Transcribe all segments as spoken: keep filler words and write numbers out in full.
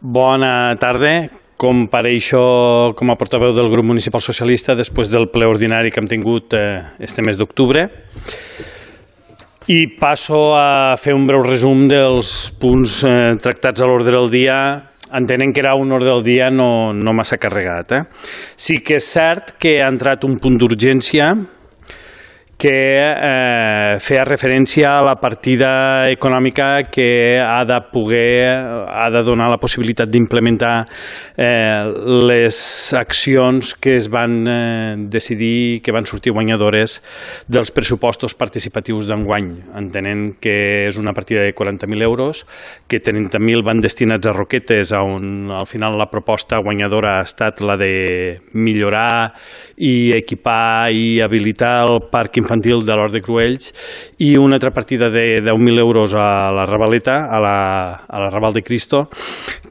Bona tarda. Compareixo com a portaveu del grup municipal socialista després del ple ordinari que hem tingut este mes d'octubre i passo a fer un breu resum dels punts tractats a l'ordre del dia, entenent que era un ordre del dia no, no massa carregat. Eh? Sí que és cert que ha entrat un punt d'urgència que eh, feia referència a la partida econòmica que ha de poder, ha de donar la possibilitat d'implementar eh, les accions que es van eh, decidir, que van sortir guanyadores dels pressupostos participatius d'enguany, entenent que és una partida de quaranta mil euros, que trenta mil van destinats a Roquetes, on al final la proposta guanyadora ha estat la de millorar i equipar i habilitar el parc infantil de l'Hort de Cruells, i una altra partida de deu mil euros a la Ravaleta, a la, a la Raval de Cristo,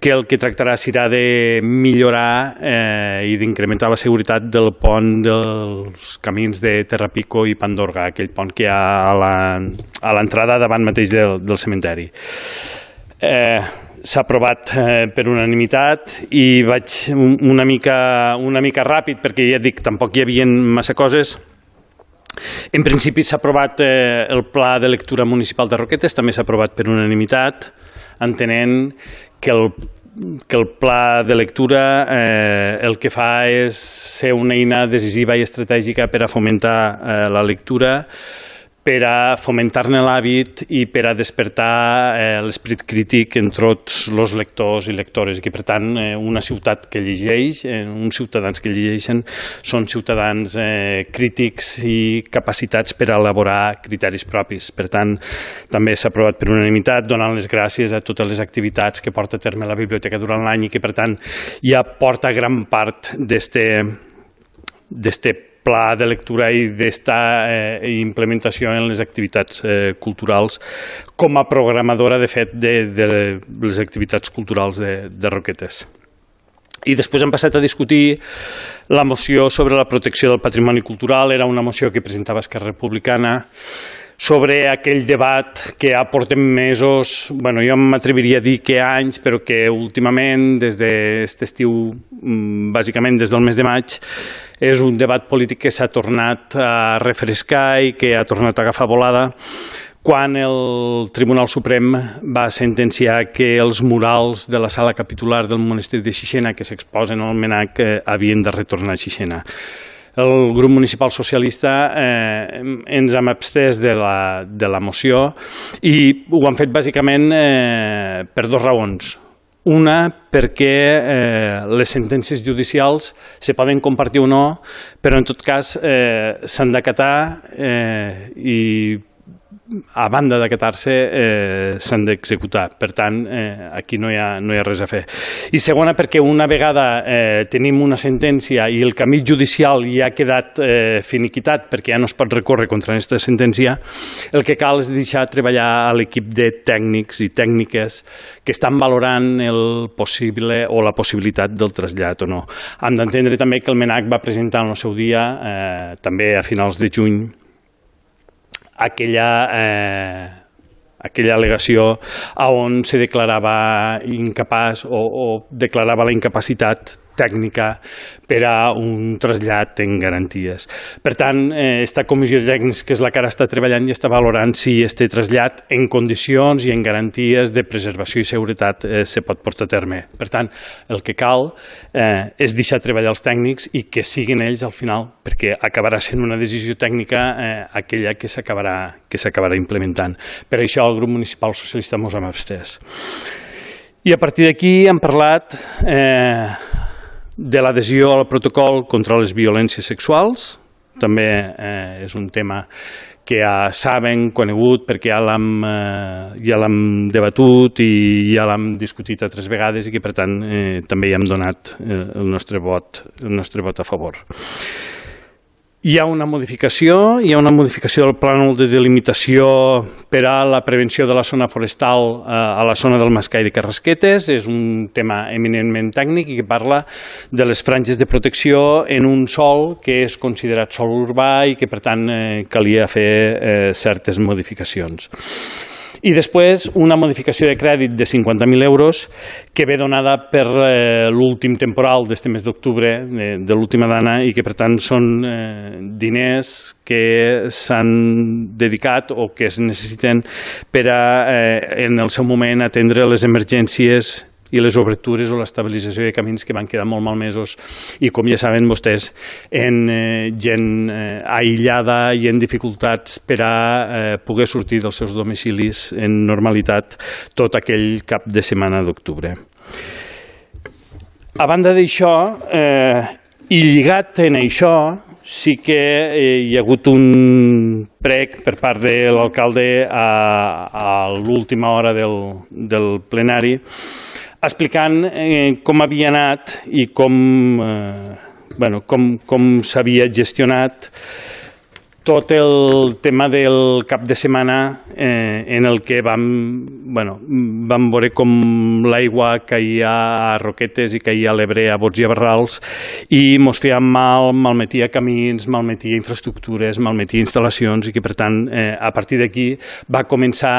que el que tractarà serà de millorar eh, i d'incrementar la seguretat del pont dels camins de Terrapico i Pandorga, aquell pont que hi ha a l'entrada davant mateix del, del cementeri. Eh, S'ha aprovat eh, per unanimitat i vaig una mica, una mica ràpid perquè ja dic, tampoc hi havia massa coses. En principi s'ha aprovat eh, el pla de lectura municipal de Roquetes, també s'ha aprovat per unanimitat, entenent que el, que el pla de lectura eh, el que fa és ser una eina decisiva i estratègica per a fomentar eh, la lectura, per a fomentar-ne l'hàbit i per a despertar eh, l'esperit crític en tots els lectors i lectores, i que per tant eh, una ciutat que llegeix, eh, uns ciutadans que llegeixen són ciutadans eh, crítics i capacitats per a elaborar criteris propis. Per tant, també s'ha aprovat per unanimitat, donant les gràcies a totes les activitats que porta a terme la biblioteca durant l'any i que per tant ja porta gran part d'este d'este pla de lectura i d'esta eh, implementació en les activitats eh, culturals com a programadora, de fet, de, de les activitats culturals de, de Roquetes. I després hem passat a discutir la moció sobre la protecció del patrimoni cultural. Era una moció que presentava Esquerra Republicana sobre aquell debat que ja portem mesos, bueno, jo m'atreviria a dir que anys, però que últimament, des d'aquest estiu, bàsicament des del mes de maig, és un debat polític que s'ha tornat a refrescar i que ha tornat a agafar volada quan el Tribunal Suprem va sentenciar que els murals de la sala capitular del monestir de Xixena que s'exposen al MNAC eh, havien de retornar a Xixena. El grup municipal socialista eh, ens hem abstès de la, de la moció i ho han fet bàsicament eh, per dues raons. Una, perquè eh, les sentències judicials se poden compartir o no, però en tot cas eh, s'han d'acatar eh, i a banda d'acatar-se eh, s'han d'executar. Per tant, eh, aquí no hi, ha, no hi ha res a fer. I segona, perquè una vegada eh, tenim una sentència i el camí judicial ja ha quedat eh, finiquitat perquè ja no es pot recórrer contra aquesta sentència, el que cal és deixar treballar a l'equip de tècnics i tècniques que estan valorant el possible o la possibilitat del trasllat o no. Hem d'entendre també que el MNAC va presentar en el seu dia, eh, també a finals de juny, aquella, eh, aquella al·legació on se declarava incapaç o, o declarava la incapacitat tècnica per a un trasllat en garanties. Per tant, eh, esta comissió de tècnics, que és la que ara està treballant i està valorant si este trasllat en condicions i en garanties de preservació i seguretat eh, se pot portar a terme. Per tant, el que cal eh, és deixar treballar els tècnics i que siguin ells al final, perquè acabarà sent una decisió tècnica eh, aquella que s'acabarà que s'acabarà implementant. Per això el grup municipal socialista mos hem abstès. I a partir d'aquí hem parlat eh, de l'adhesió al protocol contra les violències sexuals. També eh, és un tema que ja saben, conegut, perquè ja l'hem eh, ja l'hem debatut i ja l'hem discutit altres vegades i que, per tant, eh, també hi hem donat eh, el nostre vot, el nostre vot a favor. Hi ha una modificació, hi ha una modificació del plànol de delimitació per a la prevenció de la zona forestal a la zona del Mascai de Carrasquetes. És un tema eminentment tècnic i que parla de les franges de protecció en un sòl que és considerat sòl urbà i que, per tant, calia fer certes modificacions. I després una modificació de crèdit de cinquanta mil euros que ve donada per eh, l'últim temporal d'este mes d'octubre, de, de l'última dana, i que per tant són eh, diners que s'han dedicat o que es necessiten per a, eh, en el seu moment, atendre les emergències i les obertures o l'estabilització de camins que van quedar molt malmesos i, com ja saben vostès, en eh, gent eh, aïllada i en dificultats per a eh, poder sortir dels seus domicilis en normalitat tot aquell cap de setmana d'octubre. A banda d'això, eh, i lligat en això, sí que eh, hi ha hagut un prec per part de l'alcalde a, a l'última hora del, del plenari explicant eh, com havia anat i com, eh, bueno, com, com s'havia gestionat tot el tema del cap de setmana eh, en el que vam, bueno, vam veure com l'aigua caia a Roquetes i caia a l'Ebre, a Bots i a Barrals, i mos feia mal, malmetia camins, malmetia infraestructures, malmetia instal·lacions, i que per tant eh, a partir d'aquí va començar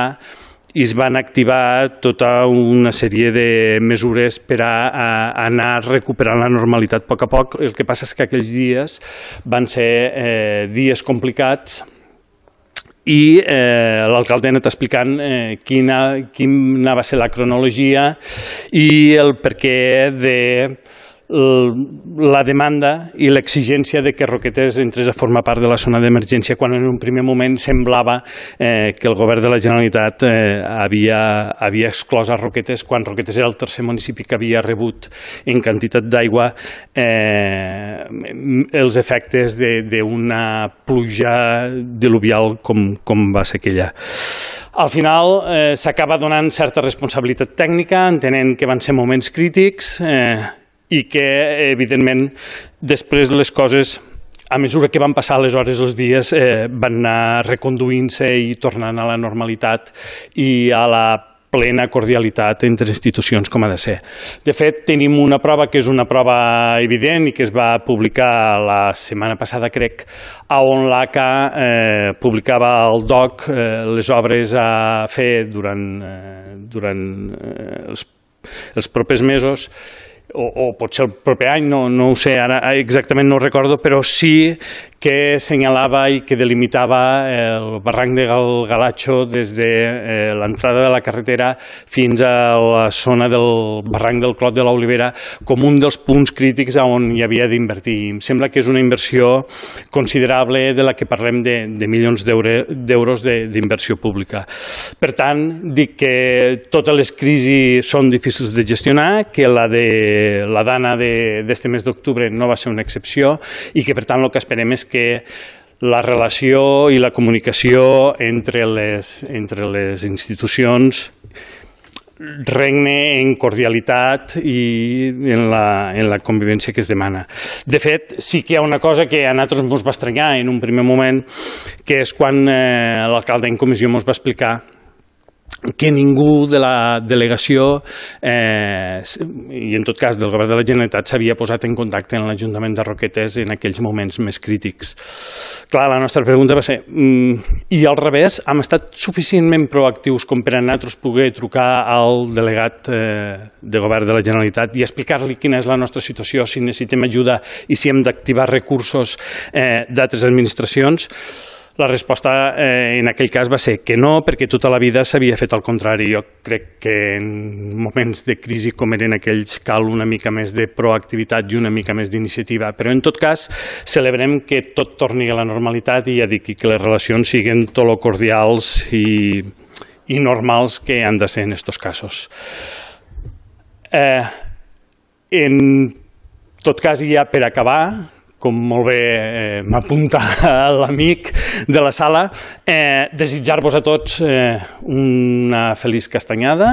i es van activar tota una sèrie de mesures per a, a anar recuperant la normalitat a poc a poc. El que passa és que aquells dies van ser eh, dies complicats i eh, l'alcalde ha anat explicant eh, quina, quina va ser la cronologia i el perquè de la demanda i l'exigència de que Roquetes entrés a formar part de la zona d'emergència quan en un primer moment semblava eh, que el govern de la Generalitat eh, havia, havia exclòs a Roquetes quan Roquetes era el tercer municipi que havia rebut en quantitat d'aigua eh, els efectes d'una pluja diluvial com, com va ser aquella. Al final eh, s'acaba donant certa responsabilitat tècnica, entenent que van ser moments crítics eh, i que, evidentment, després les coses, a mesura que van passar les hores, els dies, eh, van anar reconduint-se i tornant a la normalitat i a la plena cordialitat entre institucions com ha de ser. De fet, tenim una prova que és una prova evident i que es va publicar la setmana passada, crec, on l'A C A eh, publicava al D O C eh, les obres a fer durant, eh, durant eh, els, els propers mesos, O, o potser el proper any, no, no ho sé, ara exactament no ho recordo, però sí que senyalava i que delimitava el barranc de Gal Galatxo des de eh, l'entrada de la carretera fins a la zona del barranc del Clot de l'Olivera com un dels punts crítics on hi havia d'invertir. Em sembla que és una inversió considerable de la que parlem de, de milions d'euros d'inversió pública. Per tant, dic que totes les crisis són difícils de gestionar, que la de la dana d'este mes d'octubre no va ser una excepció i que per tant el que esperem és que la relació i la comunicació entre les, entre les institucions regne en cordialitat i en la, en la convivència que es demana. De fet, sí que hi ha una cosa que a nosaltres ens va estranyar en un primer moment, que és quan eh, l'alcalde en comissió ens va explicar que ningú de la delegació eh, i en tot cas del govern de la Generalitat s'havia posat en contacte amb l'Ajuntament de Roquetes en aquells moments més crítics. Clar, la nostra pregunta va ser mm, i al revés, hem estat suficientment proactius com per a nosaltres poder trucar al delegat eh, de govern de la Generalitat i explicar-li quina és la nostra situació, si necessitem ajuda i si hem d'activar recursos eh, d'altres administracions. La resposta eh, en aquell cas va ser que no, perquè tota la vida s'havia fet al contrari. Jo crec que en moments de crisi com eren aquells cal una mica més de proactivitat i una mica més d'iniciativa. Però en tot cas celebrem que tot torni a la normalitat i ja dic que les relacions siguin tot lo cordials i, i normals que han de ser en aquests casos. Eh, en tot cas, i ja per acabar, com molt bé eh, m'apunta l'amic de la sala, eh, desitjar-vos a tots eh, una feliç castanyada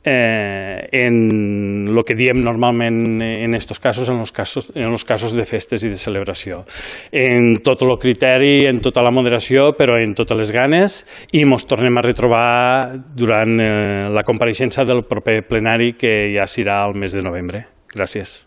eh, en el que diem normalment en aquests casos, en els casos, en els casos de festes i de celebració. En tot el criteri, en tota la moderació, però en totes les ganes, i ens tornem a retrobar durant eh, la compareixença del proper plenari, que ja serà el mes de novembre. Gràcies.